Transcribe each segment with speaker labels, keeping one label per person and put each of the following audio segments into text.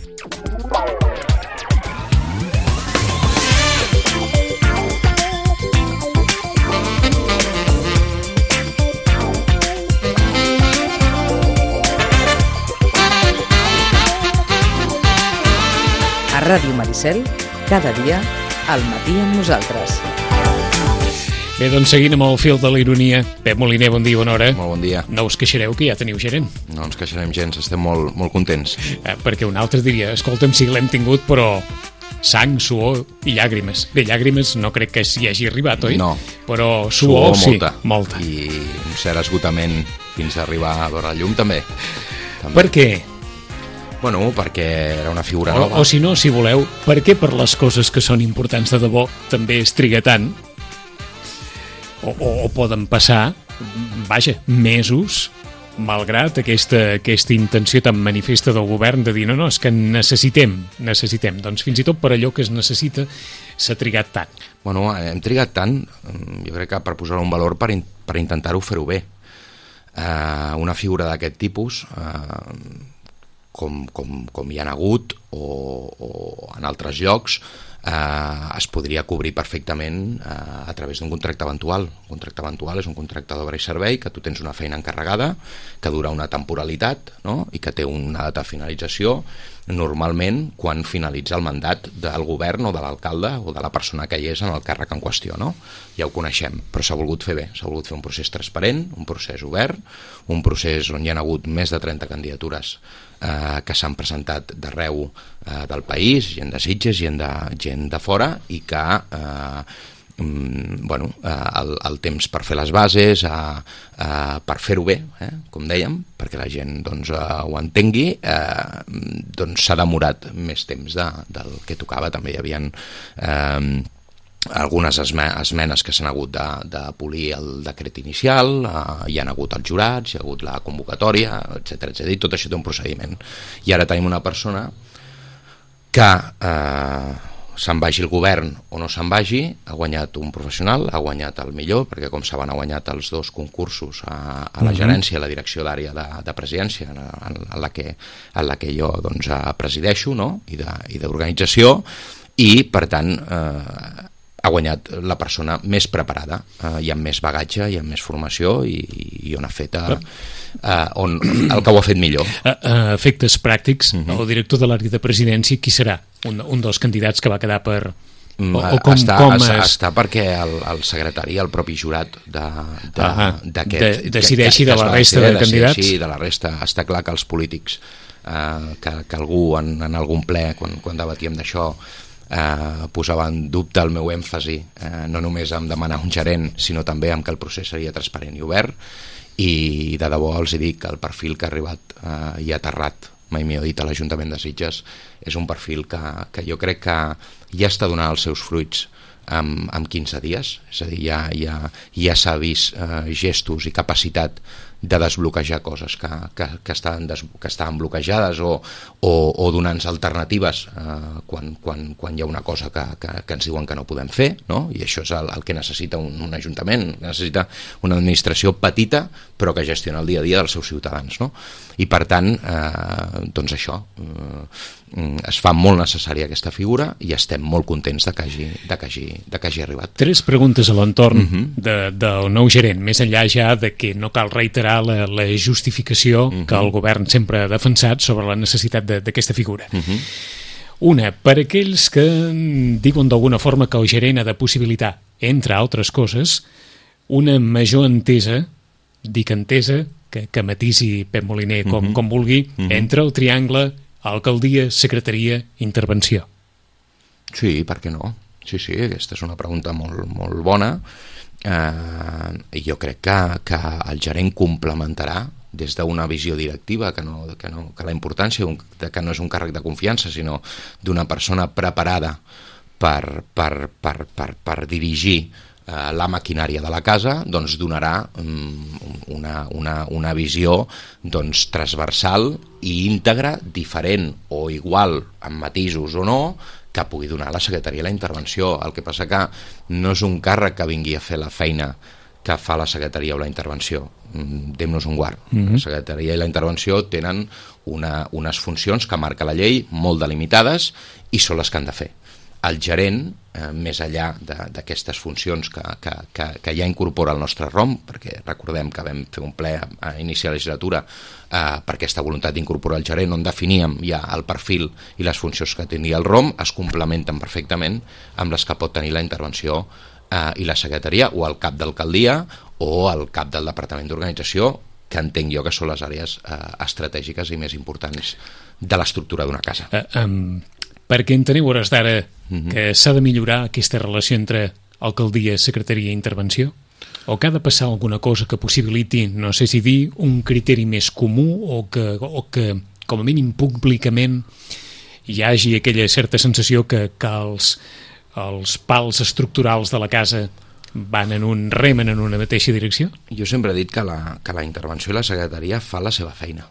Speaker 1: A Ràdio Maricel, cada dia, al matí amb nosaltres.
Speaker 2: Bé, doncs seguint amb el fil de la ironia, Pep Moliner, bon dia, bona hora.
Speaker 3: Molt bon dia.
Speaker 2: No us queixareu que ja teniu gerent.
Speaker 3: No ens queixarem gens, estem molt contents.
Speaker 2: Perquè un altre diria, escolta'm, sí que l'hem tingut, però sang, suor i llàgrimes. Bé, llàgrimes no crec que s'hi hagi arribat, oi?
Speaker 3: No.
Speaker 2: Però suor sí,
Speaker 3: molta. I un cert esgotament fins a arribar a veure la llum també.
Speaker 2: Per què?
Speaker 3: Bueno, perquè era una figura nova.
Speaker 2: O si no, si voleu, per què per les coses que són importants de debò també es triga tant? O poden passar, vaja, mesos, malgrat aquesta intenció tan manifesta del govern de dir no, és que necessitem. Doncs fins i tot per allò que es necessita s'ha trigat tant.
Speaker 3: Bueno, hem trigat tant, jo crec que per posar un valor per intentar-ho fer-ho bé. Una figura d'aquest tipus, com hi ha hagut o en altres llocs, es podria cobrir perfectament a través d'un contracte eventual. Un contracte eventual és un contracte d'obra i servei que tu tens una feina encarregada, que dura una temporalitat, no? I que té una data de finalització normalment quan finalitza el mandat del govern o de l'alcalde o de la persona que hi és en el càrrec en qüestió, no? Ja ho coneixem, però s'ha volgut fer bé, s'ha volgut fer un procés transparent, un procés obert, un procés on hi ha hagut més de 30 candidatures que s'han presentat d'arreu del país, gent de Sitges, gent de fora, i que el temps per fer les bases, per fer-ho bé, com dèiem, perquè la gent ho entengui, doncs s'ha demorat més temps del que tocava. També hi havia algunes esmenes que s'han hagut de polir el decret inicial, hi han hagut els jurats, hi ha hagut la convocatòria, etcètera. Tot això té un procediment. I ara tenim una persona que se'n vagi el govern o no se'n vagi, ha guanyat un professional, ha guanyat el millor, perquè com saben ha guanyat els dos concursos a la gerència, a la direcció d'àrea de presidència, en la que jo presideixo, no? I d'organització, i per tant ha guanyat la persona més preparada i amb més bagatge i amb més formació i on ha fet el que ho ha fet millor.
Speaker 2: Efectes pràctics, el director de l'àrea de presidència, qui serà? Un dels candidats que va quedar per...
Speaker 3: Està perquè el secretari, el propi jurat d'aquest...
Speaker 2: decideixi de la resta de candidats?
Speaker 3: Sí, de la resta. Està clar que els polítics, que algú en algun ple, quan debatíem d'això, posava en dubte el meu èmfasi, no només en demanar un gerent, sinó també en que el procés seria transparent i obert, i de debò els dic que el perfil que ha arribat i ha aterrat, mai millor dit, a l'Ajuntament de Sitges, és un perfil que jo crec que ja està donant els seus fruits en 15 dies, és a dir, ja s'ha vist gestos i capacitat de desbloquejar coses que estaven bloquejades o donant-nos alternatives quan hi ha una cosa que ens diuen que no podem fer, no? I això és el que necessita un ajuntament, necessita una administració petita però que gestiona el dia a dia dels seus ciutadans, no? I per tant, doncs això, es fa molt necessària aquesta figura i estem molt contents de que hagi arribat.
Speaker 2: 3 preguntes a l'entorn del nou gerent, més enllà ja de que no cal reiterar la justificació que el govern sempre ha defensat sobre la necessitat d'aquesta figura. Una, per aquells que diuen d'alguna forma que el gerent ha de possibilitar, entre altres coses, una major entesa, dic entesa, que matisi Pep Moliner com vulgui, entre el triangle alcaldia, secretaria, intervenció.
Speaker 3: Sí, per què no? Sí, aquesta és una pregunta molt bona. Jo crec que el gerent complementarà des d'una visió directiva, que la importància que no és un càrrec de confiança, sinó d'una persona preparada per dirigir la maquinària de la casa, doncs donarà una visió transversal i íntegra, diferent o igual, amb matisos o no, que pugui donar la secretaria a la intervenció. El que passa que no és un càrrec que vingui a fer la feina que fa la secretaria o la intervenció. Dem-nos un guard. La secretaria i la intervenció tenen unes funcions que marca la llei, molt delimitades, i són les que han de fer. El gerent, més enllà d'aquestes funcions que ja incorpora el nostre ROM, perquè recordem que vam fer un ple a inici de legislatura per aquesta voluntat d'incorporar el gerent, on definíem ja el perfil i les funcions que tindria el ROM, es complementen perfectament amb les que pot tenir la intervenció i la secretaria, o el cap d'alcaldia o el cap del departament d'organització, que entenc jo que són les àrees estratègiques i més importants de l'estructura d'una casa.
Speaker 2: Perquè enteneu hores d'ara que s'ha de millorar aquesta relació entre alcaldia, secretaria i intervenció? O que ha de passar alguna cosa que possibiliti, no sé si dir, un criteri més comú o que com a mínim públicament hi hagi aquella certa sensació que els pals estructurals de la casa remen en una mateixa direcció?
Speaker 3: Jo sempre he dit que la intervenció i la secretaria fa la seva feina.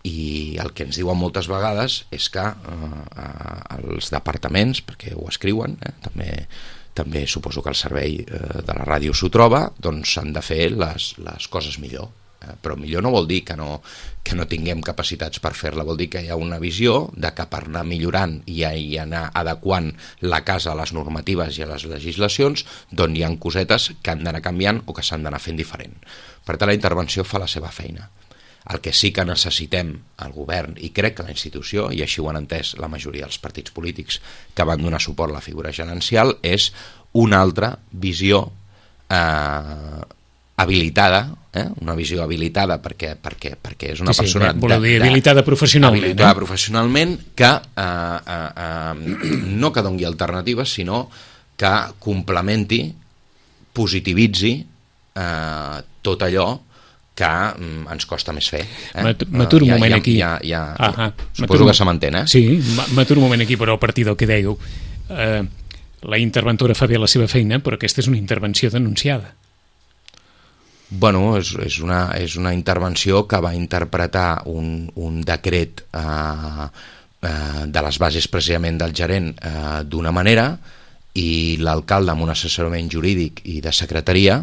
Speaker 3: I el que ens diuen moltes vegades és que els departaments, perquè ho escriuen, també suposo que el servei de la ràdio s'ho troba, doncs s'han de fer les coses millor. Però millor no vol dir que no tinguem capacitats per fer-la, vol dir que hi ha una visió de que per anar millorant i anar adequant la casa a les normatives i a les legislacions, doncs hi ha cosetes que han d'anar canviant o que s'han d'anar fent diferent. Per tant, la intervenció fa la seva feina. El que sí que necessitem el govern, i crec que la institució, i així ho han entès la majoria dels partits polítics que van donar suport a la figura gerencial, és una altra visió habilitada, una visió habilitada perquè és una persona
Speaker 2: habilitada
Speaker 3: professionalment que no que doni alternatives, sinó que complementi, positivitzi tot allò que ens costa més fer.
Speaker 2: M'aturo un moment aquí.
Speaker 3: Suposo que se m'entén,
Speaker 2: Sí, m'aturo un moment aquí, però a partir del que dèieu. La interventora fa bé la seva feina, però aquesta és una intervenció denunciada.
Speaker 3: Bueno, és una intervenció que va interpretar un decret de les bases precisament del gerent d'una manera, i l'alcalde, amb un assessorament jurídic i de secretaria,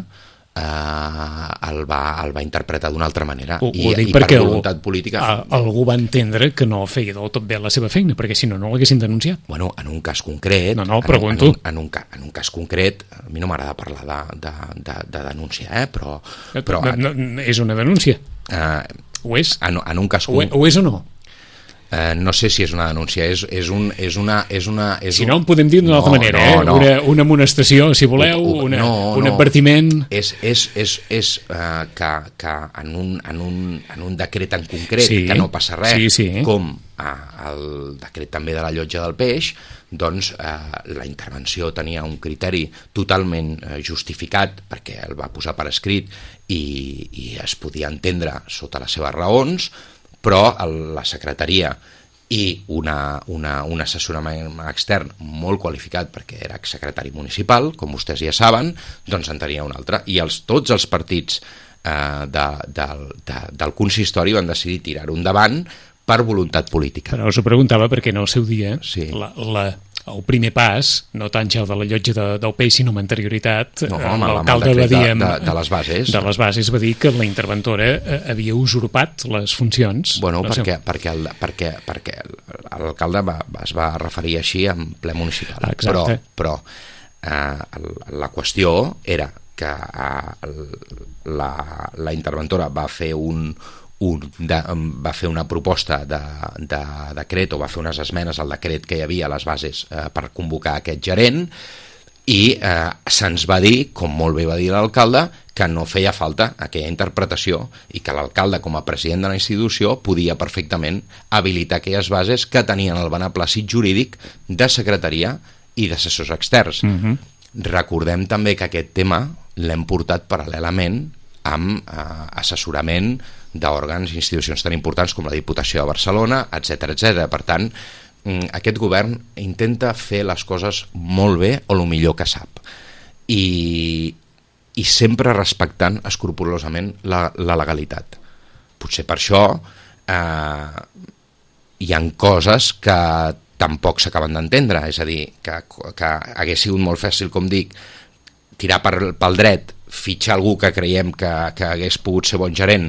Speaker 3: el va interpretar d'una altra manera.
Speaker 2: I per voluntat política algú va entendre que no feia del tot bé la seva feina, perquè si no l'haguessin denunciat.
Speaker 3: Bueno, en un cas concret
Speaker 2: pregunto.
Speaker 3: En un cas concret, a mi no m'agrada parlar de denúncia, però
Speaker 2: és una denúncia. Ho és?
Speaker 3: En un cas
Speaker 2: ho és o no?
Speaker 3: No sé si és una denúncia, és una...
Speaker 2: Si no, en podem dir d'una altra manera, una amonestació, si voleu, un advertiment...
Speaker 3: És que en un decret en concret, que no passa res, com el decret també de la llotja del peix, doncs la intervenció tenia un criteri totalment justificat, perquè el va posar per escrit i es podia entendre sota les seves raons, però la secretaria i un assessorament extern molt qualificat, perquè era exsecretari municipal, com vostès ja saben, doncs en tenia un altre. I tots els partits del consistori van decidir tirar-ho endavant per voluntat política.
Speaker 2: Però us ho preguntava perquè en el seu dia el primer pas, no tant ja el de la llotja del peix, sinó amb anterioritat, l'alcalde va dir
Speaker 3: de les
Speaker 2: bases va dir que la interventora havia usurpat les funcions.
Speaker 3: Bueno, perquè l'alcalde es va referir així en ple municipal. Però la qüestió era que la interventora va fer una proposta de decret, o va fer unes esmenes al decret que hi havia a les bases per convocar aquest gerent, i se'ns va dir, com molt bé va dir l'alcalde, que no feia falta aquella interpretació i que l'alcalde, com a president de la institució, podia perfectament habilitar aquelles bases que tenien el beneplàcit jurídic de secretaria i d'assessors externs. Recordem també que aquest tema l'hem portat paral·lelament amb assessorament d'òrgans i institucions tan importants com la Diputació de Barcelona, etc. Per tant, aquest govern intenta fer les coses molt bé o el millor que sap, i sempre respectant escrupolosament la legalitat. Potser per això hi ha coses que tampoc s'acaben d'entendre, és a dir, que hagués sigut molt fàcil, com dic, tirar pel dret, fitxar algú que creiem que hagués pogut ser bon gerent,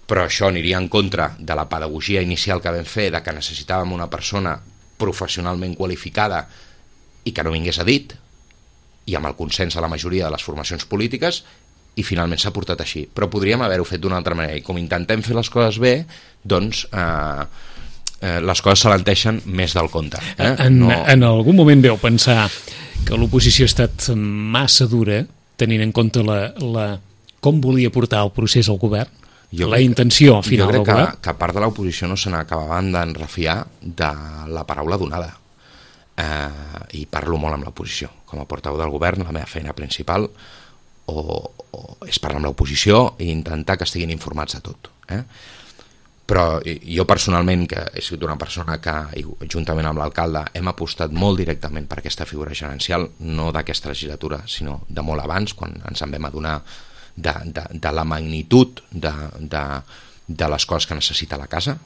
Speaker 3: però això aniria en contra de la pedagogia inicial que vam fer, de que necessitàvem una persona professionalment qualificada i que no vingués a dit, i amb el consens de la majoria de les formacions polítiques, i finalment s'ha portat així. Però podríem haver-ho fet d'una altra manera, i com intentem fer les coses bé, doncs les coses s'alenteixen més del compte.
Speaker 2: En algun moment veu pensar que l'oposició ha estat massa dura, tenint en compte com volia portar el procés al govern? La intenció final del govern?
Speaker 3: Jo crec que part de l'oposició no se n'acabaven d'enrefiar de la paraula donada. I parlo molt amb l'oposició. Com a portaveu del govern, la meva feina principal és parlar amb l'oposició i intentar que estiguin informats de tot. Però jo personalment, que he sigut una persona que, juntament amb l'alcalde, hem apostat molt directament per aquesta figura gerencial, no d'aquesta legislatura, sinó de molt abans, quan ens en vam adonar de la magnitud de les coses que necessita la casa,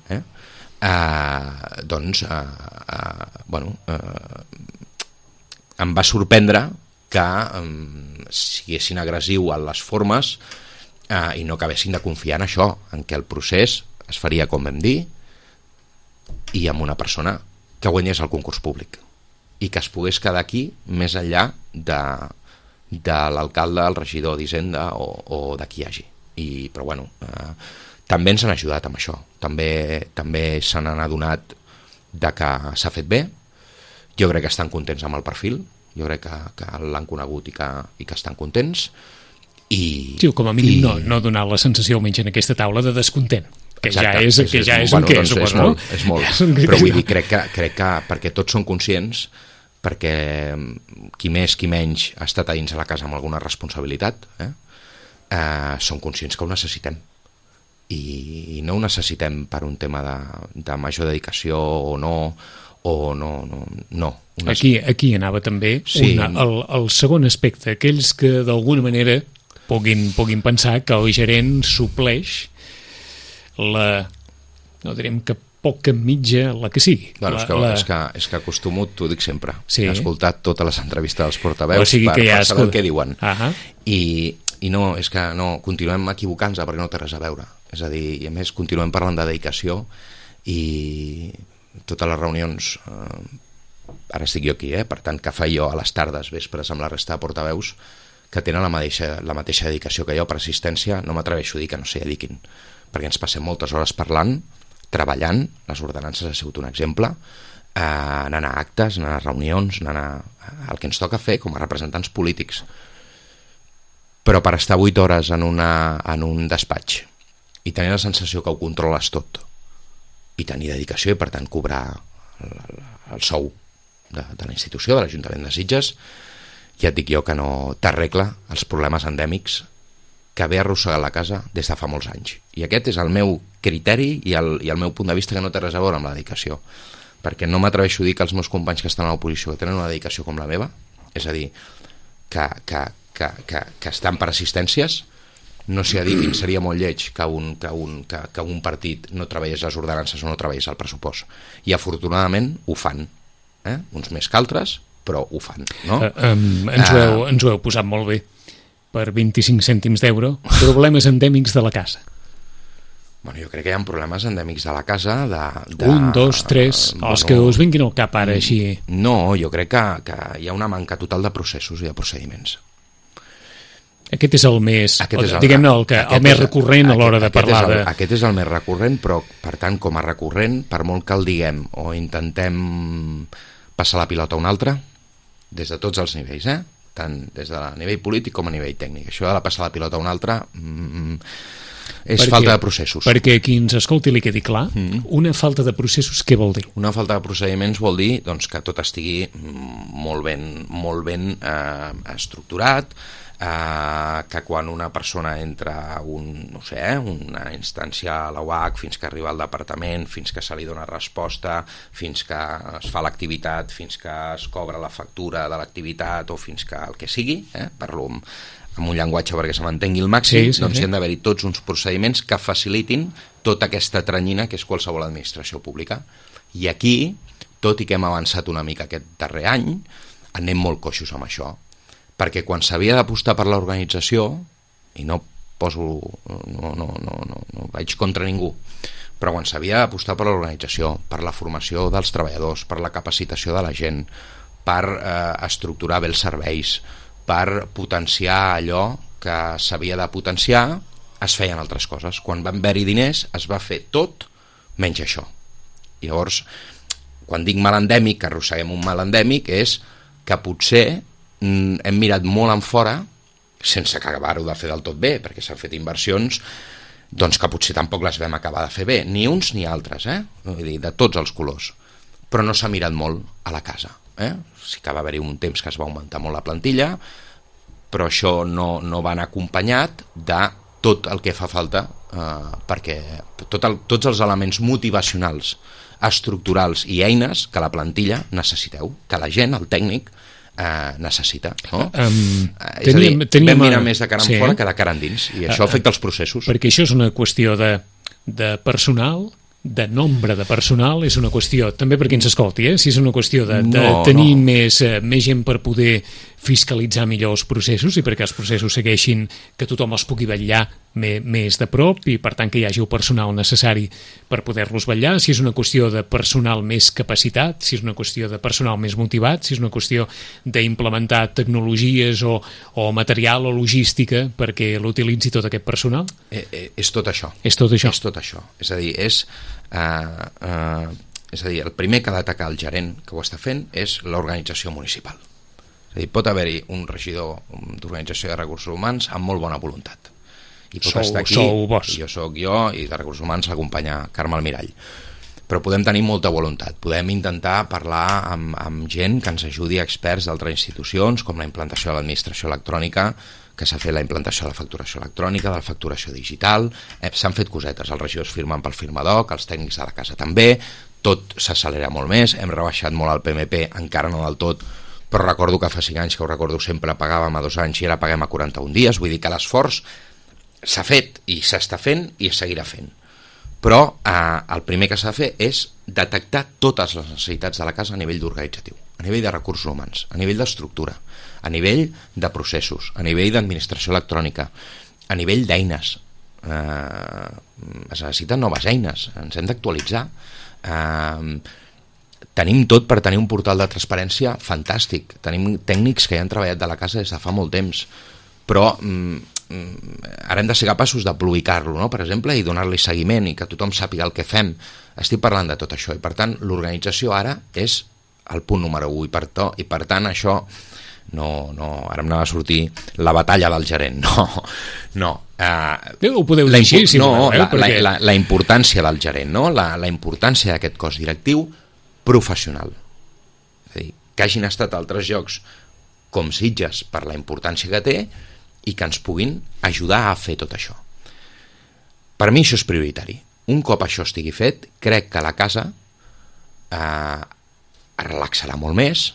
Speaker 3: em va sorprendre que siguessin agressiu en les formes i no acabessin de confiar en això, en què el procés es faria com vam dir i amb una persona que guanyés el concurs públic i que es pogués quedar aquí més enllà de l'alcalde, el regidor d'Hisenda o de qui hi hagi. Però bueno, també ens han ajudat amb això, també se n'han adonat de que s'ha fet bé. Jo crec que estan contents amb el perfil, jo crec que l'han conegut i que estan contents.
Speaker 2: Sí, com a mínim no donar la sensació, almenys en aquesta taula, de descontent, que ja és un què, suposo, no?
Speaker 3: És molt, però vull dir, crec que perquè tots són conscients, perquè qui més, qui menys ha estat a dins de la casa amb alguna responsabilitat, són conscients que ho necessitem. I no ho necessitem per un tema de major dedicació o no.
Speaker 2: Aquí anava també el segon aspecte, aquells que d'alguna manera puguin pensar que el gerent supleix no direm que poca mitja, la que sigui.
Speaker 3: Bueno, és que acostumo, t'ho dic sempre,
Speaker 2: sí.
Speaker 3: He escoltat totes les entrevistes dels portaveus per saber el que diuen. I no, és que no, continuem equivocant-nos perquè no té res a veure. És a dir, i a més continuem parlant de dedicació i totes les reunions, ara estic jo aquí, per tant que faig jo a les tardes, vespres amb la resta de portaveus que tenen la mateixa dedicació que jo per assistència, no m'atreveixo a dir que no s'hi dediquin, perquè ens passem moltes hores parlant, treballant, les ordenances ha sigut un exemple, anant a actes, anant a reunions, anant el que ens toca fer com a representants polítics. Però per estar 8 hores en un despatx i tenir la sensació que ho controles tot i tenir dedicació i per tant cobrar el sou de la institució, de l'Ajuntament de Sitges, ja et dic jo que no t'arregla els problemes endèmics que ve arrossegat la casa des de fa molts anys. I aquest és el meu criteri i el meu punt de vista, que no té res a veure amb la dedicació, perquè no m'atreveixo a dir que els meus companys que estan a l'oposició que tenen una dedicació com la meva, és a dir, que estan per assistències, no s'hi dediquin. Seria molt lleig que un partit no treballés les ordenances o no treballés el pressupost, i afortunadament ho fan, uns més que altres, però ho fan, no?
Speaker 2: Ens ho heu posat molt bé. Per 25 cèntims d'euro, problemes endèmics de la casa.
Speaker 3: Bueno, jo crec que hi ha problemes endèmics de la casa de
Speaker 2: 1, 2, 3, els que us vinguin al cap ara així.
Speaker 3: No, jo crec que hi ha una manca total de processos i de procediments.
Speaker 2: Aquest és el més, diguem-ne, el més recurrent a l'hora de parlar de...
Speaker 3: Aquest és el més recurrent, però, per tant, com a recurrent, per molt que el diguem o intentem passar la pilota a un altre, des de tots els nivells, tant des de nivell polític com a nivell tècnic. Això de passar la pilota a un altre és falta de processos.
Speaker 2: Perquè qui ens escolti li quedi clar, una falta de processos què vol dir?
Speaker 3: Una falta de procediments vol dir que tot estigui molt ben estructurat, que quan una persona entra a una instància a la UAC, fins que arriba al departament, fins que se li dona resposta, fins que es fa l'activitat, fins que es cobra la factura de l'activitat o fins que el que sigui, parlo amb un llenguatge perquè se m'entengui el màxim, hi han d'haver-hi tots uns procediments que facilitin tota aquesta tranyina que és qualsevol administració pública. I aquí, tot i que hem avançat una mica aquest darrer any, anem molt coixos amb això, perquè quan s'havia d'apostar per l'organització, i no vaig contra ningú, però quan s'havia d'apostar per l'organització, per la formació dels treballadors, per la capacitació de la gent, per estructurar bé els serveis, per potenciar allò que s'havia de potenciar, es feien altres coses. Quan van haver-hi diners es va fer tot menys això. Llavors, quan dic mal endèmic, que arrosseguem un mal endèmic, és que potser hem mirat molt en fora, sense acabar-ho de fer del tot bé, perquè s'han fet inversions doncs que potser tampoc les vam acabar de fer bé, ni uns ni altres, vull dir, de tots els colors, però no s'ha mirat molt a la casa. Sí que va haver-hi un temps que es va augmentar molt la plantilla, però això no va anar acompanyat de tot el que fa falta, perquè tots els elements motivacionals, estructurals i eines que la plantilla necessiteu, que la gent, el tècnic, necessita, no? És a dir, vam mirar més de cara en fora que de cara endins, i això afecta els processos.
Speaker 2: Perquè això és una qüestió de personal, de nombre de personal, és una qüestió, també per qui ens escolti, si és una qüestió de tenir més gent per poder fiscalitzar millor els processos i perquè els processos segueixin, que tothom els pugui vetllar més de prop i per tant que hi hagi el personal necessari per poder-los vetllar, si és una qüestió de personal més capacitat, si és una qüestió de personal més motivat, si és una qüestió d'implementar tecnologies o material o logística perquè l'utilitzi tot aquest personal?
Speaker 3: És tot això.
Speaker 2: És tot això.
Speaker 3: És tot això. És a dir, el primer que ha d'atacar el gerent que ho està fent és l'organització municipal. És a dir, pot haver-hi un regidor d'organització de recursos humans amb molt bona voluntat. I pot estar aquí, jo soc jo, i de recursos humans l'acompanya Carme Almirall. Però podem tenir molta voluntat, podem intentar parlar amb gent que ens ajudi, experts d'altres institucions, com la implantació de l'administració electrònica, que s'ha fet la implantació de la facturació electrònica, de la facturació digital, s'han fet cosetes, els regidors firmen pel firmadoc, els tècnics de la casa també, tot s'accelera molt més, hem rebaixat molt el PMP, encara no del tot, però recordo que fa 5 anys, que ho recordo sempre, pagàvem a 2 anys i ara paguem a 41 dies, vull dir que l'esforç s'ha fet i s'està fent i es seguirà fent. Però el primer que s'ha de fer és detectar totes les necessitats de la casa a nivell d'organitzatiu, a nivell de recursos humans, a nivell d'estructura, a nivell de processos, a nivell d'administració electrònica, a nivell d'eines. Es necessiten noves eines, ens hem d'actualitzar. Tenim tot per tenir un portal de transparència fantàstic, tenim tècnics que ja han treballat de la casa des de fa molt temps, però ara hem de ser capaços de publicar-lo, no? Per exemple, i donar-li seguiment i que tothom sàpiga el que fem. Estic parlant de tot això i per tant l'organització ara és el punt número 1 i per tant això ara em anava a sortir la batalla del gerent, no.
Speaker 2: Ho podeu dir així, si voleu, perquè...
Speaker 3: la importància del gerent, no? La importància d'aquest cos directiu professional. És a dir, que hagin estat altres llocs com Sitges per la importància que té i que ens puguin ajudar a fer tot això. Per mi això és prioritari. Un cop això estigui fet, crec que la casa es relaxarà molt més,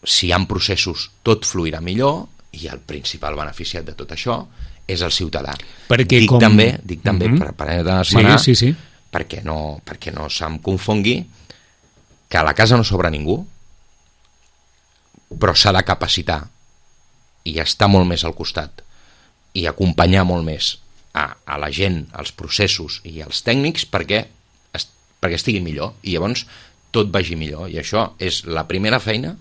Speaker 3: si hi ha processos tot fluirà millor i el principal beneficiat de tot això és el ciutadà. Dic també per esmenar,
Speaker 2: sí.
Speaker 3: perquè no se'm confongui que a la casa no sobra ningú, però s'ha de capacitar i estar molt més al costat i acompanyar molt més a la gent, als processos i als tècnics perquè estigui millor i llavors tot vagi millor, i això és la primera feina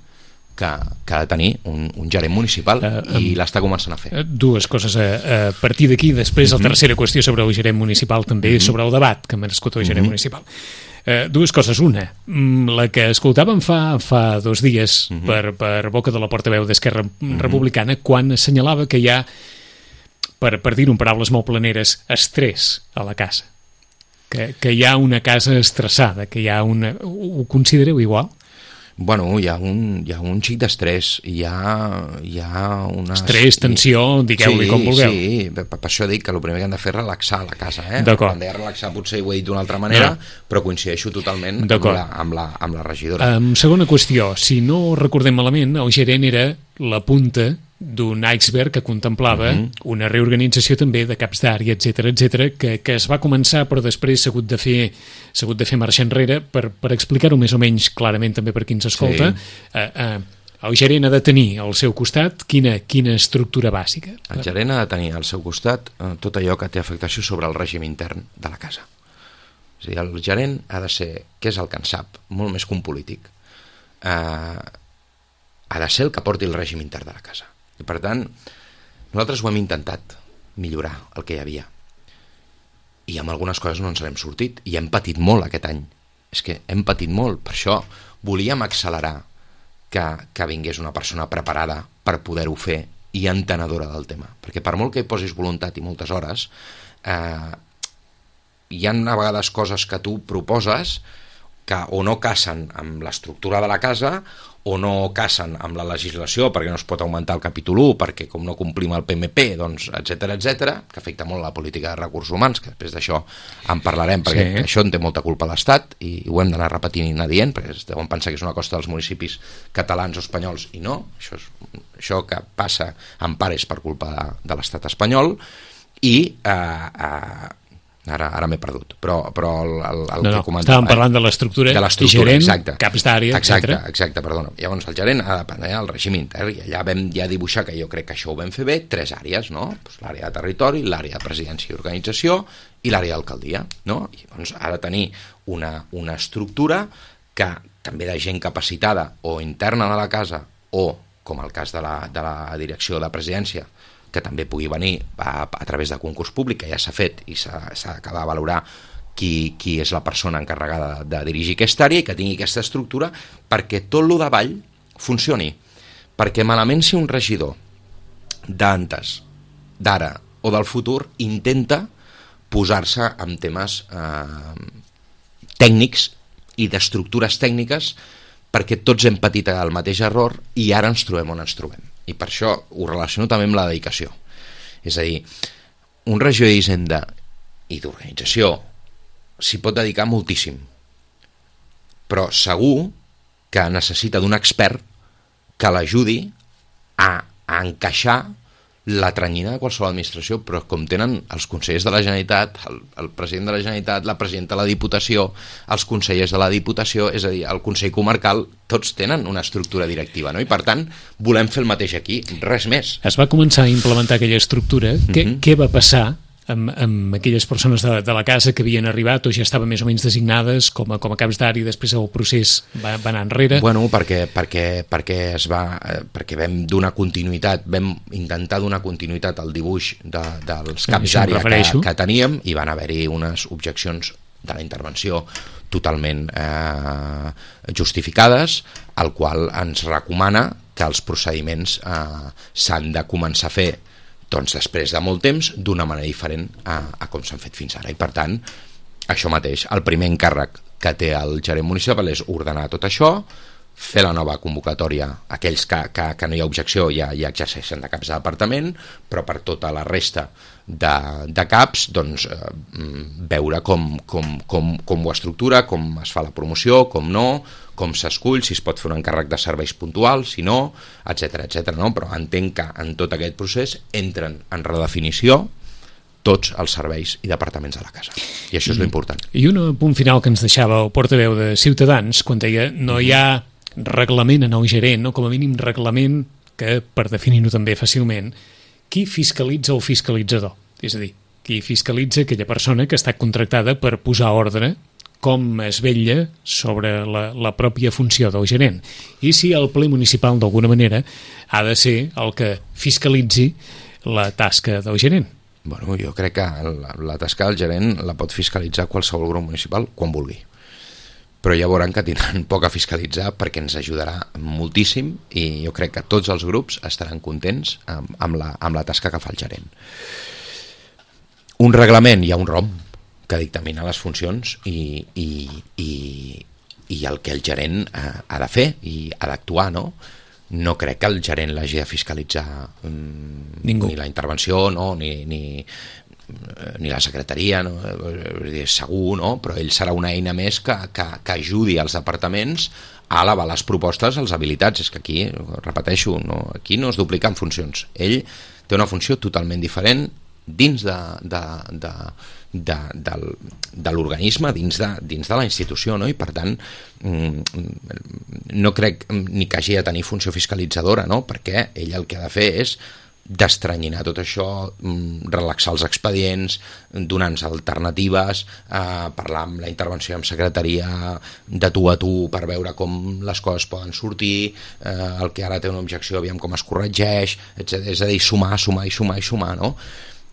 Speaker 3: que ha de tenir un gerent municipal i l'està començant a fer.
Speaker 2: Dues coses a partir d'aquí, després la tercera qüestió sobre el gerent municipal, també sobre el debat que ha merescut el gerent municipal. Dues coses. Una, la que escoltàvem fa 2 dies per boca de la portaveu d'Esquerra Republicana, quan assenyalava que hi ha, per dir-ho en paraules molt planeres, estrès a la casa, que hi ha una casa estressada, que hi ha una... Ho considereu igual?
Speaker 3: Bueno, hi ha un xic d'estrès, hi ha una...
Speaker 2: Estrès, tensió, digueu-li com vulgueu.
Speaker 3: Sí, per això dic que el primer que hem de fer és relaxar la casa.
Speaker 2: D'acord.
Speaker 3: Quan deia relaxar potser ho he dit d'una altra manera, però coincideixo totalment amb la regidora.
Speaker 2: Segona qüestió, si no recordem malament, el gerent era la punta d'un iceberg que contemplava una reorganització també de caps d'àrea, etc, que es va començar però després s'ha hagut de fer marxa enrere per explicar-ho més o menys clarament també per qui ens escolta. El gerent ha de tenir al seu costat quina estructura bàsica?
Speaker 3: El gerent ha de tenir al seu costat tot allò que té afectació sobre el règim intern de la casa. És a dir, el gerent ha de ser, que és el que en sap, molt més que un polític, ha de ser el que porti el règim intern de la casa. I per tant, nosaltres ho hem intentat millorar el que hi havia. I amb algunes coses no ens n'hem sortit. I hem patit molt aquest any. És que hem patit molt. Per això volíem accelerar que vingués una persona preparada per poder-ho fer i entenedora del tema. Perquè per molt que hi posis voluntat i moltes hores, hi ha a vegades coses que tu proposes que o no casen amb l'estructura de la casa o no casen amb la legislació perquè no es pot augmentar el capítol 1, perquè com no complim el PMP, doncs, etcètera, que afecta molt la política de recursos humans, que després d'això en parlarem, perquè això en té molta culpa l'Estat i ho hem d'anar repetint i anar dient, perquè deuen pensar que és una costa dels municipis catalans o espanyols, i no, això que passa en part és per culpa de l'Estat espanyol, i ara m'he perdut, però el que comentava...
Speaker 2: Estàvem parlant de l'estructura, gerent,
Speaker 3: exacte,
Speaker 2: caps d'àrea, etc.
Speaker 3: Exacte, perdona. Llavors el gerent ha de prendre el règim intern, i allà vam ja dibuixar, que jo crec que això ho vam fer bé, 3 àrees, no? Pues l'àrea de territori, l'àrea de presidència i organització i l'àrea d'alcaldia, no? I doncs ha de tenir una estructura que també de gent capacitada o interna de la casa o, com el cas de la direcció de presidència, que també pugui venir a través de concurs públic, que ja s'ha fet i s'ha d'acabar de valorar qui és la persona encarregada de dirigir aquesta àrea i que tingui aquesta estructura perquè tot lo davall funcioni. Perquè malament si un regidor d'antes, d'ara o del futur intenta posar-se en temes tècnics i d'estructures tècniques perquè tots hem patit el mateix error i ara ens trobem on ens trobem. I per això ho relaciono també amb la dedicació. És a dir, un regidor d'Hisenda i d'organització s'hi pot dedicar moltíssim, però segur que necessita d'un expert que l'ajudi a encaixar la tranyina de qualsevol administració, però com tenen els consellers de la Generalitat, el president de la Generalitat, la presidenta de la Diputació, els consellers de la Diputació, és a dir, el Consell Comarcal, tots tenen una estructura directiva, no? I per tant, volem fer el mateix aquí, res més.
Speaker 2: Es va començar a implementar aquella estructura. Què va passar amb aquelles persones de la casa que havien arribat o ja estaven més o menys designades com a caps d'àrea i després el procés va anar enrere?
Speaker 3: Bueno, perquè vam donar continuïtat, vam intentar donar continuïtat al dibuix dels caps d'àrea que teníem i van haver-hi unes objeccions de la intervenció totalment justificades, al qual ens recomana que els procediments s'han de començar a fer doncs després de molt temps, d'una manera diferent a com s'han fet fins ara. I per tant, això mateix, el primer encàrrec que té el gerent municipal és ordenar tot això, fer la nova convocatòria, aquells que no hi ha objecció ja exerceixen de caps de departament, però per tota la resta de caps, doncs, veure com ho estructura, com es fa la promoció, com no, com s'escull, si es pot fer un encàrrec de serveis puntuals, si no, etcètera, no? Però entenc que en tot aquest procés entren en redefinició tots els serveis i departaments de la casa. I això és l'important.
Speaker 2: I un punt final que ens deixava el portaveu de Ciutadans, quan deia no hi ha reglament en el gerent, no? Com a mínim reglament que, per definir-ho també fàcilment, qui fiscalitza el fiscalitzador? És a dir, qui fiscalitza aquella persona que està contractada per posar ordre, com es vetlla sobre la pròpia funció del gerent. I si el ple municipal, d'alguna manera, ha de ser el que fiscalitzi la tasca del gerent.
Speaker 3: Bueno, jo crec que la tasca del gerent la pot fiscalitzar qualsevol grup municipal quan vulgui. Però ja veuran que tindran poc a fiscalitzar perquè ens ajudarà moltíssim i jo crec que tots els grups estaran contents amb la tasca que fa el gerent. Un reglament, hi ha un ROM que dictamina les funcions i el que el gerent ha de fer i ha d'actuar, no? No crec que el gerent l'hagi de fiscalitzar ni la intervenció, no? ni la secretaria, no? Segur, no? Però ell serà una eina més que ajudi als departaments a elevar les propostes, les habilitats. És que aquí, repeteixo, no? Aquí no es dupliquen funcions. Ell té una funció totalment diferent dins de l'organisme dins de la institució, no? I per tant no crec ni que hagi de tenir funció fiscalitzadora, no? Perquè ell el que ha de fer és d'estranyinar tot això, relaxar els expedients, donar-nos alternatives, parlar amb la intervenció amb secretaria de tu a tu per veure com les coses poden sortir, el que ara té una objecció aviam com es corregeix, etc. És a dir, sumar, no?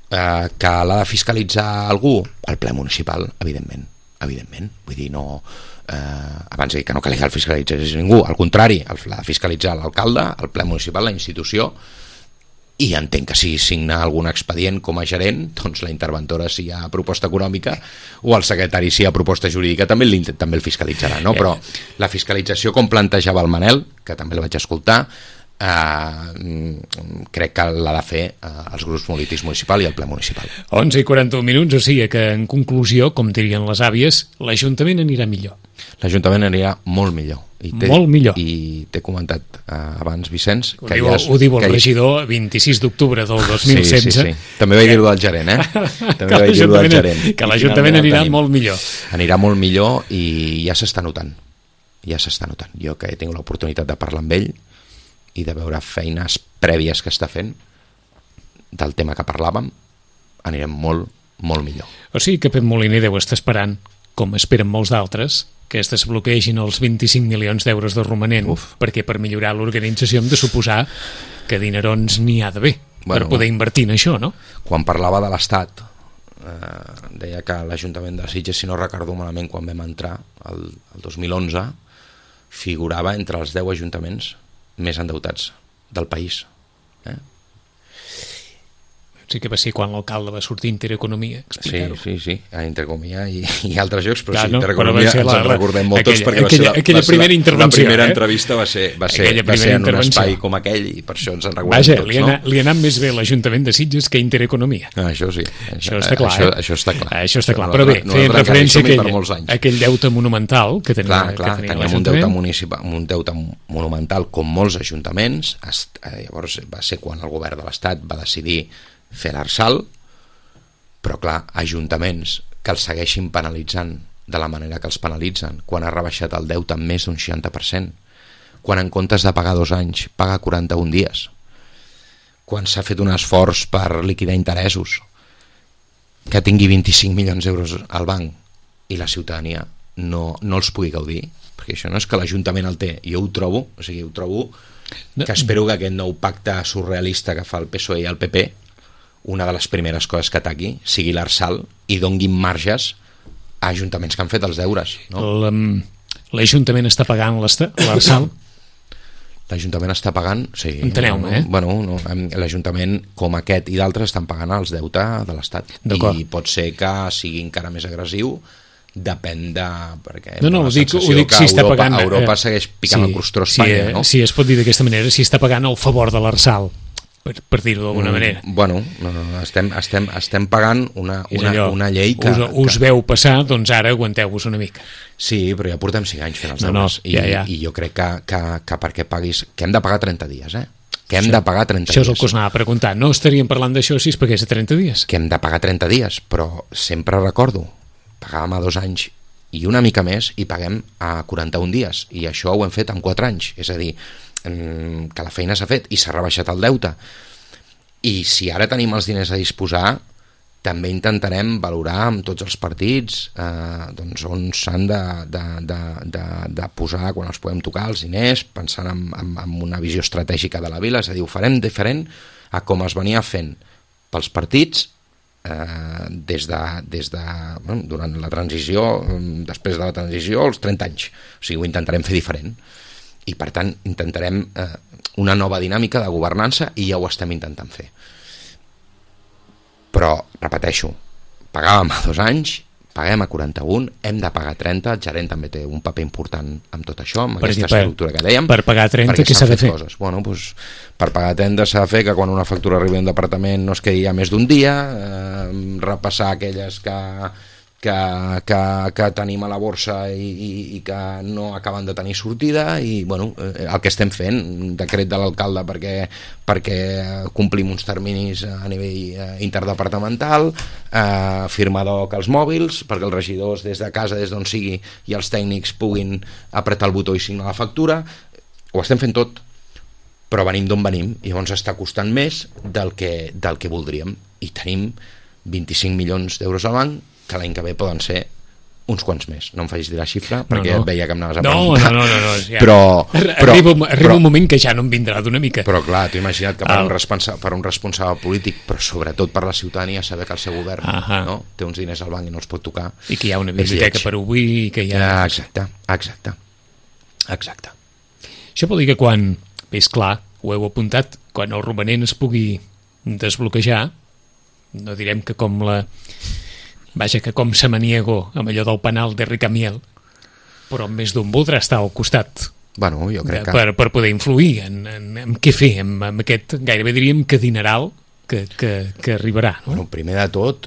Speaker 3: Que l'ha de fiscalitzar algú? El ple municipal, evidentment, vull dir, no... abans de dir que no calia el fiscalitzés ningú, al contrari, l'ha de fiscalitzar l'alcalde, el ple municipal, la institució, i entenc que si signa algun expedient com a gerent, doncs la interventora si hi ha proposta econòmica o el secretari si hi ha proposta jurídica també el fiscalitzarà, no? Però la fiscalització com plantejava el Manel, que també el vaig escoltar, crec que l'ha de fer els grups polítics municipal i el ple municipal.
Speaker 2: 11:41, o sigui que en conclusió, com dirien les àvies, l'Ajuntament anirà millor.
Speaker 3: L'Ajuntament anirà molt millor.
Speaker 2: Molt millor.
Speaker 3: I t'he comentat abans, Vicenç,
Speaker 2: que ho diu el regidor 26 d'octubre del 2016.
Speaker 3: Sí. També vaig dir-ho del gerent,
Speaker 2: que l'Ajuntament anirà molt millor.
Speaker 3: Anirà molt millor i ja s'està notant. Jo que he tingut l'oportunitat de parlar amb ell i de veure feines prèvies que està fent del tema que parlàvem, anirem molt, molt millor.
Speaker 2: O sigui que Pep Moliner deu estar esperant, com esperen molts d'altres, que es desbloquegin els 25 milions d'euros de romanent, perquè per millorar l'organització hem de suposar que dinerons n'hi ha d'haver per poder invertir en això, no?
Speaker 3: Quan parlava de l'Estat, deia que l'Ajuntament de Sitges, si no recordo malament, quan vam entrar, el 2011, figurava entre els 10 ajuntaments més endeutats del país.
Speaker 2: Sí que va ser quan l'alcalde va sortir Intereconomia, explicar-ho.
Speaker 3: Sí, a Intereconomia i altres llocs, però
Speaker 2: clar,
Speaker 3: sí, Intereconomia ens en recordem moltes perquè
Speaker 2: aquella primera intervenció.
Speaker 3: La primera entrevista va ser en un espai com aquell i per això ens en recordem tots.
Speaker 2: Vaja, li ha anat més bé l'Ajuntament de Sitges que Intereconomia.
Speaker 3: Això sí.
Speaker 2: Això està clar.
Speaker 3: Això està clar.
Speaker 2: Però bé, feien referència a aquell deute monumental que tenia l'Ajuntament.
Speaker 3: Teníem un deute monumental com molts ajuntaments. Llavors va ser quan el govern de l'Estat va decidir fer l'Arsal, però clar, ajuntaments que els segueixin penalitzant de la manera que els penalitzen, quan ha rebaixat el deute en més d'un 60%, quan en comptes de pagar 2 anys paga 41 dies, quan s'ha fet un esforç per liquidar interessos, que tingui 25 milions d'euros al banc i la ciutadania no els pugui gaudir, perquè això no és que l'Ajuntament el té, jo ho trobo que espero que aquest nou pacte surrealista que fa el PSOE i el PP, una de les primeres coses que ataqui sigui l'Arsal i donguin marges a ajuntaments que han fet els deures, no?
Speaker 2: L'Ajuntament està pagant l'Arsal?
Speaker 3: L'Ajuntament està pagant, sí.
Speaker 2: Enteneu-me,
Speaker 3: l'Ajuntament com aquest i d'altres estan pagant els deutes de l'Estat. I pot ser que sigui encara més agressiu, depèn de... perquè
Speaker 2: ho dic si està pagant...
Speaker 3: Europa segueix picant el crostó a Espanya, no?
Speaker 2: Si es pot dir d'aquesta manera, si està pagant el favor de l'Arsal, per dir-ho d'alguna manera.
Speaker 3: Estem pagant una llei que...
Speaker 2: Us veu passar, doncs ara aguanteu-vos una mica.
Speaker 3: Sí, però ja portem 5 anys fent els deures. I jo crec que perquè paguis... Que hem de pagar 30 dies, Que hem de pagar 30 dies.
Speaker 2: Això és el que us anava a preguntar. No estaríem parlant d'això si es pagués a 30 dies?
Speaker 3: Que hem de pagar 30 dies, però sempre recordo, pagàvem a 2 anys i una mica més i paguem a 41 dies. I això ho hem fet en 4 anys. És a dir, que la feina s'ha fet i s'ha rebaixat el deute, i si ara tenim els diners a disposar també intentarem valorar amb tots els partits doncs on s'han de posar quan els podem tocar els diners, pensant en una visió estratègica de la vila. És a dir, ho farem diferent a com es venia fent pels partits durant la transició, després de la transició, als 30 anys. O sigui, ho intentarem fer diferent. I per tant intentarem una nova dinàmica de governança i ja ho estem intentant fer. Però, repeteixo, pagàvem a 2 anys, paguem a 41, hem de pagar 30, el gerent també té un paper important amb tot això, amb aquesta estructura que dèiem.
Speaker 2: Per pagar 30, què s'ha de fer?
Speaker 3: Bueno, doncs, per pagar 30 s'ha de fer que quan una factura arribi a un departament no es quedi ja més d'un dia, repassar aquelles que que tenim a la borsa i que no acaben de tenir sortida, i bueno, el que estem fent, un decret de l'alcalde perquè complim uns terminis a nivell interdepartamental, firmar DOC als mòbils perquè els regidors des de casa, des d'on sigui, i els tècnics puguin apretar el botó i signar la factura. Ho estem fent tot, però venim d'on venim, i llavors està costant més del que voldríem, i tenim 25 milions d'euros al banc, que l'any que ve poden ser uns quants més. No em facis dir la xifra perquè et veia que em anaves a preguntar.
Speaker 2: No. Ja.
Speaker 3: Però
Speaker 2: un moment que ja no em vindrà d'una mica.
Speaker 3: Però clar, t'ho imagina't que per un responsable polític, però sobretot per la ciutadania, saber que el seu govern té uns diners al banc i no els pot tocar.
Speaker 2: I que hi ha una biblioteca per obrir, que hi ha...
Speaker 3: Exacte.
Speaker 2: Això vol dir que quan, és clar, ho heu apuntat, quan el romanent es pugui desbloquejar, no direm que com Samaniego amb allò del penal de Ricamiel, però més d'un voldrà estar al costat,
Speaker 3: bueno, jo crec que...
Speaker 2: per poder influir en què fer, amb aquest, gairebé diríem que dineral que arribarà, no?
Speaker 3: Bueno, primer de tot,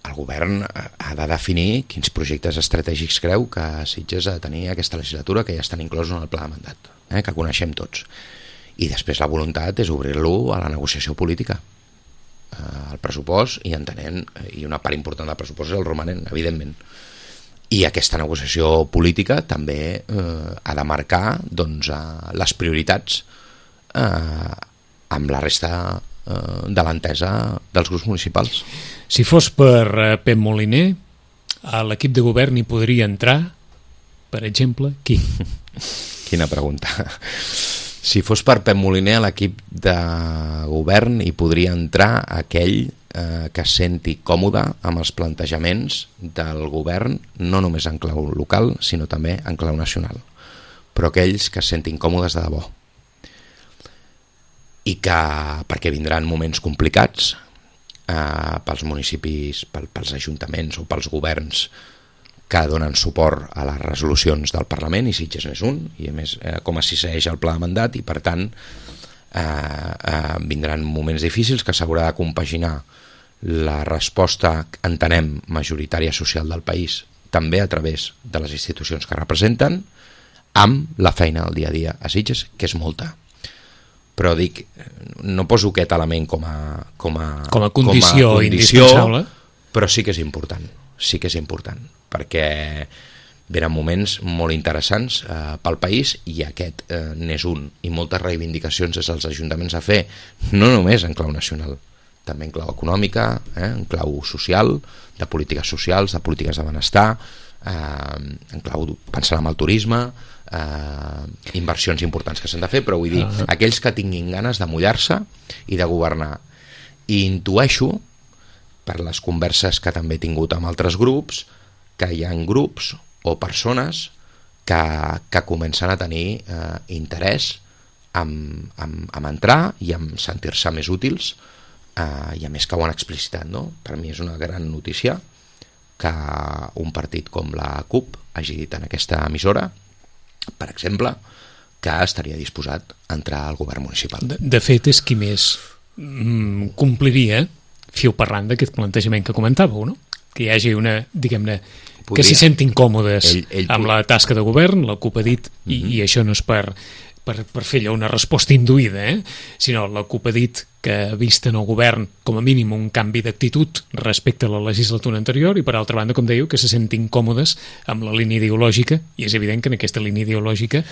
Speaker 3: el govern ha de definir quins projectes estratègics creu que Sitges ha de tenir aquesta legislatura, que ja estan inclosos en el pla de mandat, que coneixem tots. I després la voluntat és obrir-lo a la negociació política, el pressupost, i entenent, i una part important del pressupost és el romanent, evidentment, i aquesta negociació política també ha de marcar doncs, les prioritats amb la resta de l'entesa dels grups municipals.
Speaker 2: Si fos per Pep Moliner, a l'equip de govern hi podria entrar, per exemple, qui?
Speaker 3: Quina pregunta. Si fos per Pep Moliner, a l'equip de govern hi podria entrar aquell que es senti còmode amb els plantejaments del govern, no només en clau local, sinó també en clau nacional, però aquells que es sentin còmodes de debò. I que, perquè vindran moments complicats pels municipis, pels ajuntaments o pels governs que donen suport a les resolucions del Parlament, i Sitges n'és un, i a més com es segueix el pla de mandat, i per tant vindran moments difícils que s'haurà de compaginar la resposta, entenem, majoritària social del país, també a través de les institucions que representen, amb la feina del dia a dia a Sitges, que és molta. Però dic, no poso aquest element com a
Speaker 2: condició indispensable,
Speaker 3: però sí que és important, perquè venen moments molt interessants pel país, i aquest n'és un, i moltes reivindicacions des dels ajuntaments a fer, no només en clau nacional, també en clau econòmica, en clau social, de polítiques socials, de polítiques de benestar, en clau pensant en el turisme, inversions importants que s'han de fer, però vull dir, aquells que tinguin ganes de mullar-se i de governar. I intueixo, per les converses que també he tingut amb altres grups, que hi ha grups o persones que comencen a tenir interès en entrar i en sentir-se més útils, i a més que ho han explicitat, no? Per mi és una gran notícia que un partit com la CUP hagi dit en aquesta emissora, per exemple, que estaria disposat a entrar al govern municipal.
Speaker 2: De fet, és qui més compliria, fiu parlant d'aquest plantejament que comentàveu, no? Que hi hagi una, diguem-ne, que s'hi sentin còmodes amb la tasca de govern, la CUP ha dit, i això no és per fer allò una resposta induïda, sinó la CUP ha dit que vist en el govern com a mínim un canvi d'actitud respecte a la legislatura anterior, i per altra banda, com dèieu, que se sentin còmodes amb la línia ideològica, i és evident que en aquesta línia ideològica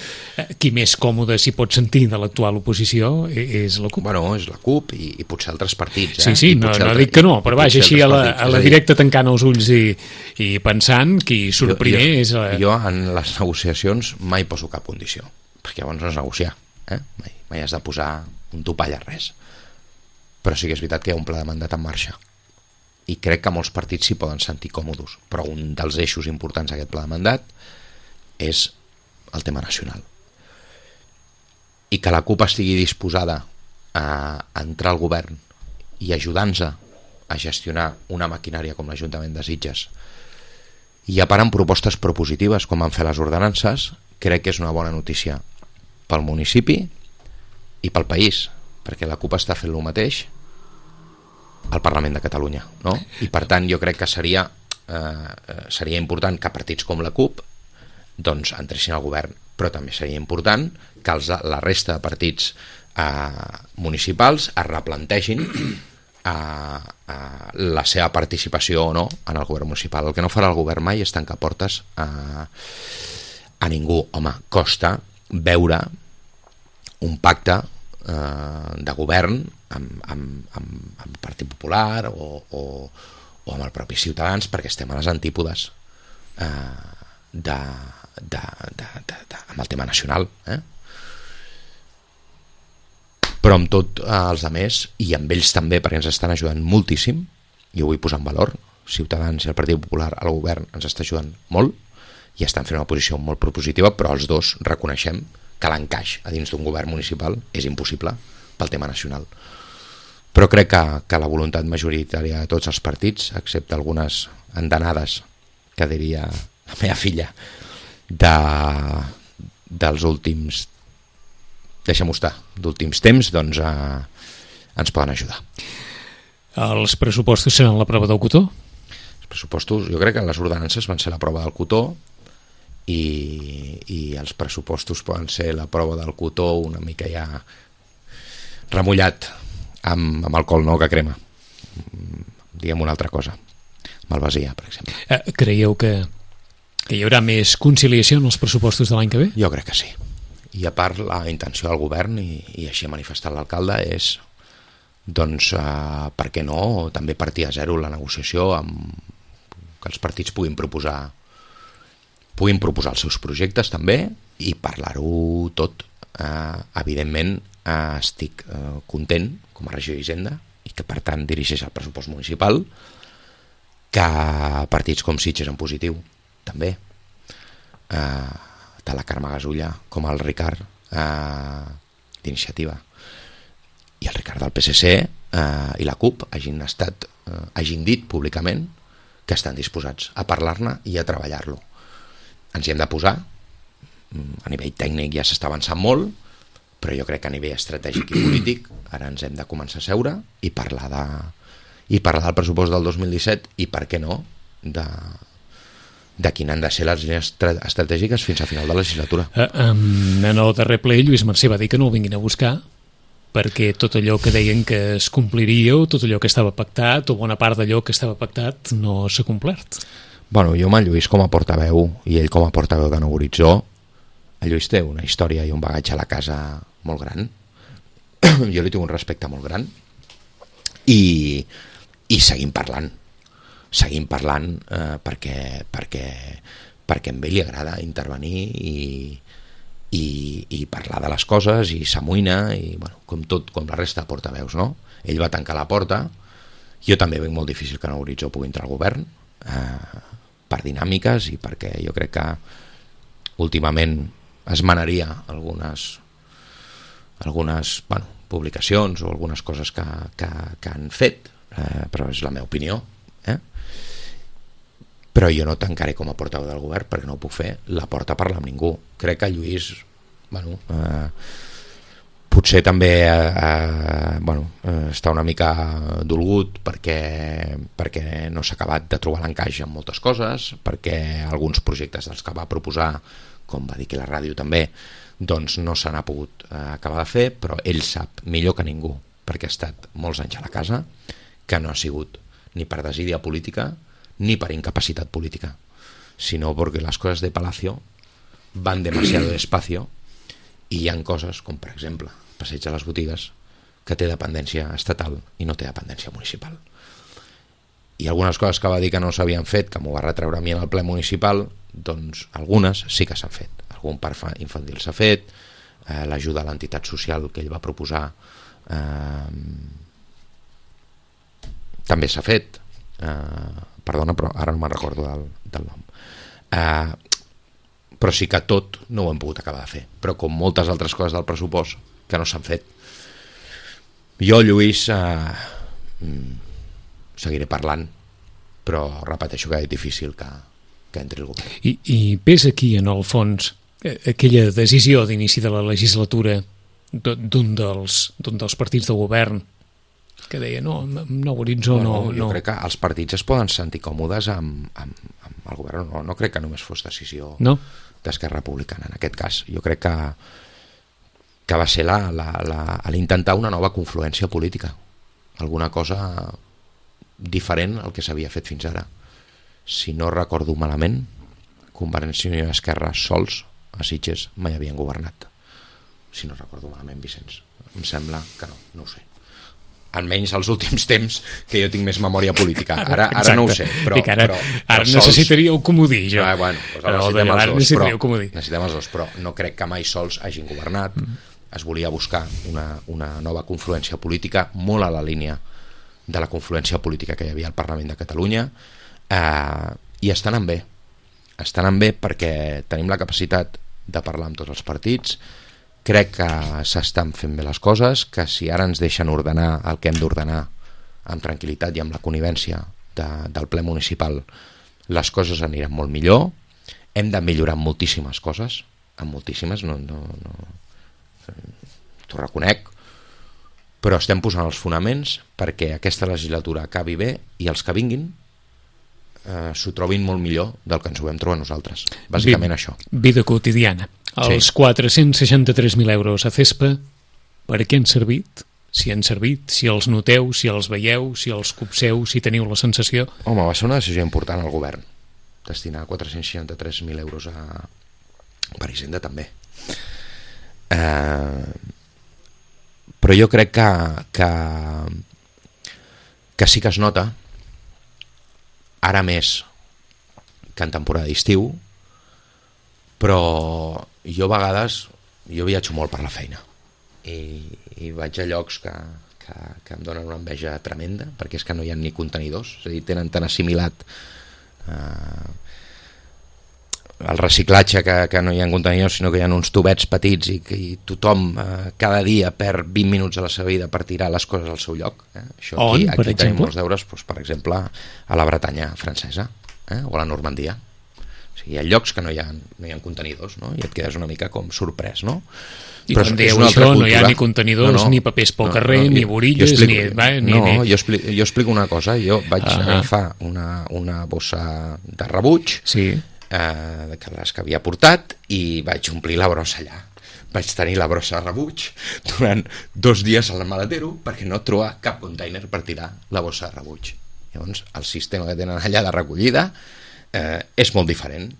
Speaker 2: qui més còmode s'hi pot sentir de l'actual oposició és la CUP.
Speaker 3: Bueno, és la CUP i potser altres partits.
Speaker 2: Sí, no dic que no, però vaja, així a la directa tancant els ulls i pensant qui surt primer és...
Speaker 3: Jo en les negociacions mai poso cap condició, perquè llavors no és negociar, mai has de posar un topall a res. Però sí que és veritat que hi ha un pla de mandat en marxa, i crec que molts partits s'hi poden sentir còmodes, però un dels eixos importants d'aquest pla de mandat és el tema nacional, i que la CUP estigui disposada a entrar al govern i ajudar-nos a gestionar una maquinària com l'Ajuntament de Sitges, i a part amb propostes propositives com van fer les ordenances, crec que és una bona notícia pel municipi i pel país, perquè la CUP està fent el mateix al Parlament de Catalunya, no? I per tant jo crec que seria important que partits com la CUP doncs entressin al govern, però també seria important que la resta de partits municipals es replantegin la seva participació o no en el govern municipal. El que no farà el govern mai és tancar portes a ningú. Home, costa veure un pacte de govern amb el Partit Popular o amb el propi Ciutadans, perquè estem a les antípodes amb el tema nacional, però amb tot els altres, i amb ells també, perquè ens estan ajudant moltíssim, i ho vull posar en valor. Ciutadans i el Partit Popular al govern ens està ajudant molt i estan fent una posició molt propositiva, però els dos reconeixem que l'encaix a dins d'un govern municipal és impossible pel tema nacional. Però crec que la voluntat majoritària de tots els partits, excepte algunes endenades, que diria la meva filla, dels últims, deixa'm estar, d'últims temps, doncs ens poden ajudar.
Speaker 2: Els pressupostos seran la prova del cotó?
Speaker 3: Els pressupostos, jo crec que les ordenances van ser la prova del cotó, i els pressupostos poden ser la prova del cotó una mica ja remullat amb alcohol, no, que crema, diguem una altra cosa, malvasia, per exemple.
Speaker 2: Creieu que hi haurà més conciliació en els pressupostos de l'any que ve?
Speaker 3: Jo crec que sí, i a part la intenció del govern, i així ha manifestat l'alcalde, és doncs per què no també partir a zero la negociació, que els partits puguin proposar els seus projectes també i parlar-ho tot. Evidentment estic content com a regidor d'Hisenda, i que per tant dirigeix el pressupost municipal, que partits com Sitges en positiu també, tant la Carme Gasulla com el Ricard d'Iniciativa i el Ricard del PSC i la CUP hagin dit públicament que estan disposats a parlar-ne i a treballar-lo. Ens hi hem de posar, a nivell tècnic ja s'està avançant molt, però jo crec que a nivell estratègic i polític ara ens hem de començar a seure i parlar del pressupost del 2017 i, per què no, de quines han de ser les línies estratègiques fins a final de legislatura.
Speaker 2: En el darrer ple Lluís Mercè va dir que no el vinguin a buscar perquè tot allò que deien que es compliria o tot allò que estava pactat o bona part d'allò que estava pactat no s'ha complert.
Speaker 3: Bueno, jo amb el Lluís com a portaveu i ell com a portaveu de Nou Horitzó, el Lluís té una història i un bagatge a la casa molt gran. Jo li tinc un respecte molt gran i seguim parlant perquè a ell li agrada intervenir i parlar de les coses i s'amoïna, i bueno, com la resta de portaveus, no? Ell va tancar la porta, jo també veig molt difícil que Nou Horitzó pugui entrar al govern per dinàmiques i perquè jo crec que últimament es manaria algunes publicacions o algunes coses que han fet, però és la meva opinió, però jo no tancaré com a portaveu del govern perquè no ho puc fer, la porta a parlar amb ningú. Crec que Lluís potser també està una mica dolgut perquè no s'ha acabat de trobar l'encaix en moltes coses, perquè alguns projectes dels que va proposar, com va dir que la ràdio també, doncs no se n'ha pogut acabar de fer, però ell sap millor que ningú, perquè ha estat molts anys a la casa, que no ha sigut ni per desídia política ni per incapacitat política, sino porque las cosas de Palacio van demasiado despacio i hi ha coses com, per exemple, Passeig de les Botigues, que té dependència estatal i no té dependència municipal. I algunes coses que va dir que no s'havien fet, que m'ho va retreure a mi en el ple municipal, doncs algunes sí que s'han fet. Algun parc infantil s'ha fet, l'ajuda a l'entitat social que ell va proposar també s'ha fet, perdona, però ara no me'n recordo del nom. Però sí que tot no ho hem pogut acabar de fer, però com moltes altres coses del pressupost que no s'han fet. Jo, Lluís, seguiré parlant, però repeteixo que és difícil que entri el govern.
Speaker 2: I ves aquí, en el fons, aquella decisió d'inici de la legislatura d'un dels partits del govern que deia, no, nou horitzó
Speaker 3: Jo crec que els partits es poden sentir còmodes amb el govern, no crec que només fos decisió d'Esquerra Republicana en aquest cas. Jo crec que va ser l'intentar una nova confluència política, alguna cosa diferent al que s'havia fet fins ara. Si no recordo malament, Convergència i Unió i Esquerra sols a Sitges mai havien governat. Si no recordo malament, Vicenç. Em sembla que no ho sé. Almenys als últims temps que jo tinc més memòria política. Ara no ho sé.
Speaker 2: Ara necessitaríeu comodí, jo.
Speaker 3: Necessitem els dos, però no crec que mai sols hagin governat. Es volia buscar una nova confluència política molt a la línia de la confluència política que hi havia al Parlament de Catalunya, i estan en bé. Estan en bé perquè tenim la capacitat de parlar amb tots els partits. Crec que s'estan fent bé les coses, que si ara ens deixen ordenar el que hem d'ordenar amb tranquil·litat i amb la connivència del ple municipal, les coses aniran molt millor. Hem de millorar moltíssimes coses, moltíssimes, t'ho reconec, però estem posant els fonaments perquè aquesta legislatura acabi bé i els que vinguin s'ho trobin molt millor del que ens ho vam trobar nosaltres. Bàsicament això.
Speaker 2: Vida quotidiana. Els 463.000 euros a CESPA, per què han servit? Si han servit, si els noteu, si els veieu, si els copseu, si teniu la sensació...
Speaker 3: Home, va ser una decisió important al govern, destinar 463.000 euros per Hisenda també. Però jo crec que sí que es nota, ara més que en temporada d'estiu, però jo a vegades viatjo molt per la feina i vaig a llocs que em donen una enveja tremenda, perquè és que no hi ha ni contenidors, és a dir, tenen tan assimilat el reciclatge que no hi ha contenidors, sinó que hi ha uns tubets petits i tothom cada dia perd 20 minuts de la seva vida per tirar les coses al seu lloc. Això aquí tenim molts deures, doncs, per exemple, a la Bretanya francesa o a la Normandia. O sigui, hi ha llocs que no hi ha contenidors, no? I et quedes una mica com sorprès, no?
Speaker 2: I quan dieu això no hi ha ni contenidors, ni papers pel carrer, ni borilles,
Speaker 3: jo explico una cosa. Jo vaig agafar una bossa de rebuig, que les que havia portat, i vaig omplir la brossa allà. Vaig tenir la brossa de rebuig durant 2 dies al maletero perquè no trobar cap container per tirar la bossa de rebuig. Llavors el sistema que tenen allà de recollida és molt diferent,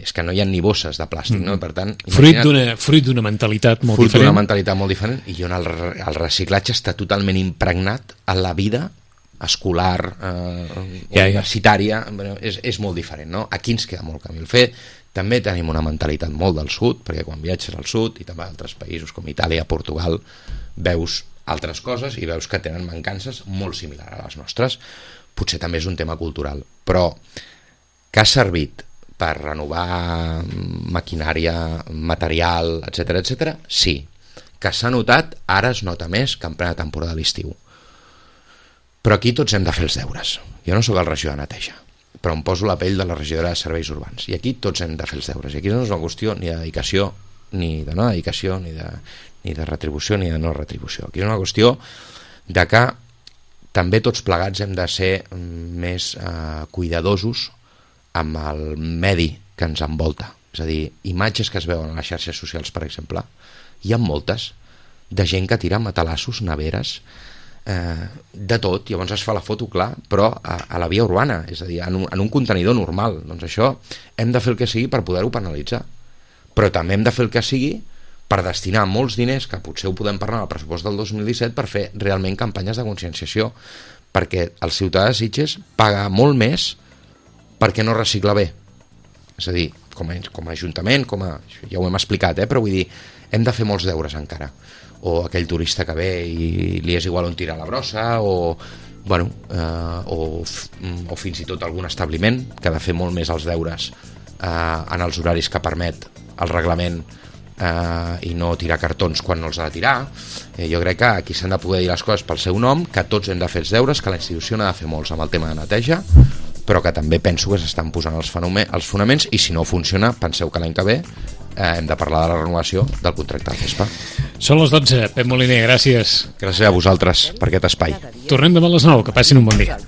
Speaker 3: és que no hi ha ni bosses de plàstic, no? Per tant,
Speaker 2: fruit d'una mentalitat molt diferent.
Speaker 3: Fruit d'una mentalitat molt diferent, i on el reciclatge està totalment impregnat a la vida escolar, universitària, és molt diferent, no? Aquí ens queda molt camí a fer. També tenim una mentalitat molt del sud, perquè quan viatges al sud i també a altres països com Itàlia, Portugal, veus altres coses i veus que tenen mancances molt similars a les nostres. Potser també és un tema cultural, però que ha servit per renovar maquinària, material, etc, sí. Que s'ha notat, ara es nota més que en plena temporada de l'estiu. Però aquí tots hem de fer els deures. Jo no sóc el regidor de neteja, però em poso la pell de la regidora de serveis urbans, i aquí tots hem de fer els deures, i aquí no és una qüestió ni de dedicació, ni de no dedicació, ni de retribució, ni de no retribució. Aquí és una qüestió de que també tots plegats hem de ser més cuidadosos amb el medi que ens envolta. És a dir, imatges que es veuen a les xarxes socials, per exemple, hi ha moltes de gent que tira matalassos, neveres, de tot. Llavors es fa la foto, clar, però a la via urbana, és a dir, en un contenidor normal. Doncs això hem de fer el que sigui per poder-ho penalitzar, però també hem de fer el que sigui per destinar molts diners, que potser ho podem parlar al pressupost del 2017, per fer realment campanyes de conscienciació, perquè el ciutadà de Sitges paga molt més perquè no recicla bé. És a dir, com a ajuntament, ja ho hem explicat, però vull dir, hem de fer molts deures encara. O aquell turista que ve i li és igual on tirar la brossa, o fins i tot algun establiment que ha de fer molt més els deures en els horaris que permet el reglament, i no tirar cartons quan no els ha de tirar. Jo crec que aquí s'han de poder dir les coses pel seu nom, que tots hem de fer els deures, que la institució n'ha de fer molts amb el tema de neteja, però que també penso que s'estan posant els fonaments, i si no funciona, penseu que l'any que ve hem de parlar de la renovació del contracte de CESPA.
Speaker 2: Són les 12. Pep Moliner, gràcies.
Speaker 3: Gràcies a vosaltres per aquest espai.
Speaker 2: Tornem demà a les 9. Que passin un bon dia.